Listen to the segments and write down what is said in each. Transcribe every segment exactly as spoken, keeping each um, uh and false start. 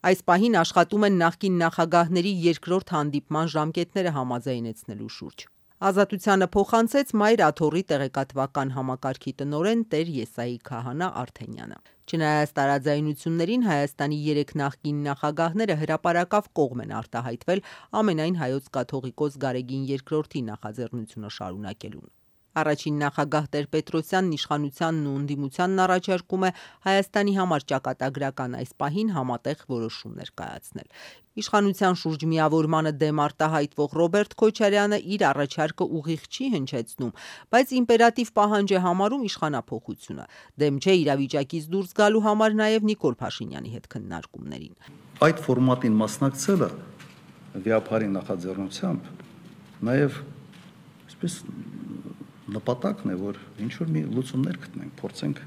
Այս պահին աշխատում են նախկին նախագահների երկրորդ հանդիպման ժամկետները համաձայնեցնելու շուրջ։ Ազատությանը փոխանցեց Մայր Աթոռի տեղեկատվական համակարգի տնօրեն Տեր Եսայի Քահանա Արթենյանը։ Չնայած տարաձայնություններին, Հայաստանի երեք նախկին նախագահները հրապարակավ կողմ են արտահայտվել ամենայն Հայոց կաթողիկոս Գարեգին երկրորդի նախաձեռնությունը շարունակելուն։ Առաջին նախագահ Տեր-Պետրոսյանն իշխանությանն ու ընդդիմությանն առաջարկում է Հայաստանի համար ճակատագրական այս պահին համատեղ որոշումներ կայացնել։ Իշխանության շուրջ միավորմանը դեմ արտահայտվող Ռոբերտ Քոչարյանը իր առաջարկը ուղիղ չի հնչեցնում, բայց իմպերատիվ պահանջ է համարում իշխանափոխությունը։ Դեմ չէ իրավիճակից դուրս գալու համար նաև Նիկոլ Փաշինյանի հետ քննարկումներին։ Այդ ֆորմատին մասնակցելը վիապարի նախաձեռնությամբ նաև այսպես նպատակն է, որ ինչ-որ մի լուծումներ գտնենք, փորձենք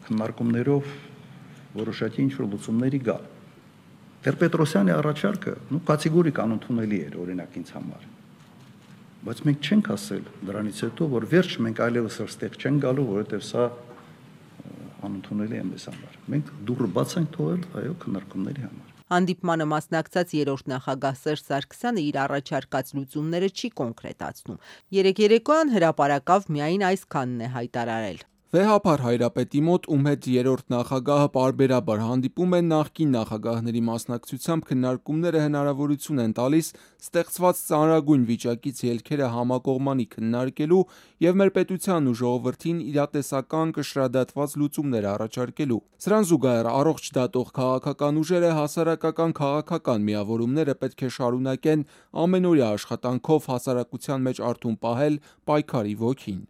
քննարկումներով որոշակի ինչ-որ լուծումների գալ։ Տեր-Պետրոսյանի առաջարկը նու կատեգորիկ անընդունելի էր օրինակ ինձ համար, բայց մենք չենք ասել դրանից հետո, որ վերջ մենք այլևս այստեղ չենք գալու, որովհետև սա անընդունելի է մեզ համար։ Մենք դուռը բաց ենք թողել այո քննարկումների համար։ Հանդիպմանը մասնակցած երրորդ նախագահ Սերժ Սարգսյանը իր առաջարկած լուծումները չի կոնկրետացնում։ Երեկ երեկոյան հրապարակավ միայն այսքանն է հայտարարել։ Վեհափար Հայրապետի մոտ, ում հետ երրորդ նախագահը պարբերաբար հանդիպում են, նախկին նախագահների մասնակցությամբ քննարկումները հնարավորություն են տալիս ստեղծված ծանրագույն վիճակից ելքերը համակողմանի քննարկելու և մեր պետությանն ու ժողովրդին իրատեսական կշռադատված լուծումներ առաջարկելու։ Սրան զուգահեռ առողջ դատող քաղաքական ուժերը հասարակական քաղաքական միավորումները պետք է շարունակեն ամենօրյա աշխատանքով հասարակության մեջ արթուն պահել պայքարի ոգին։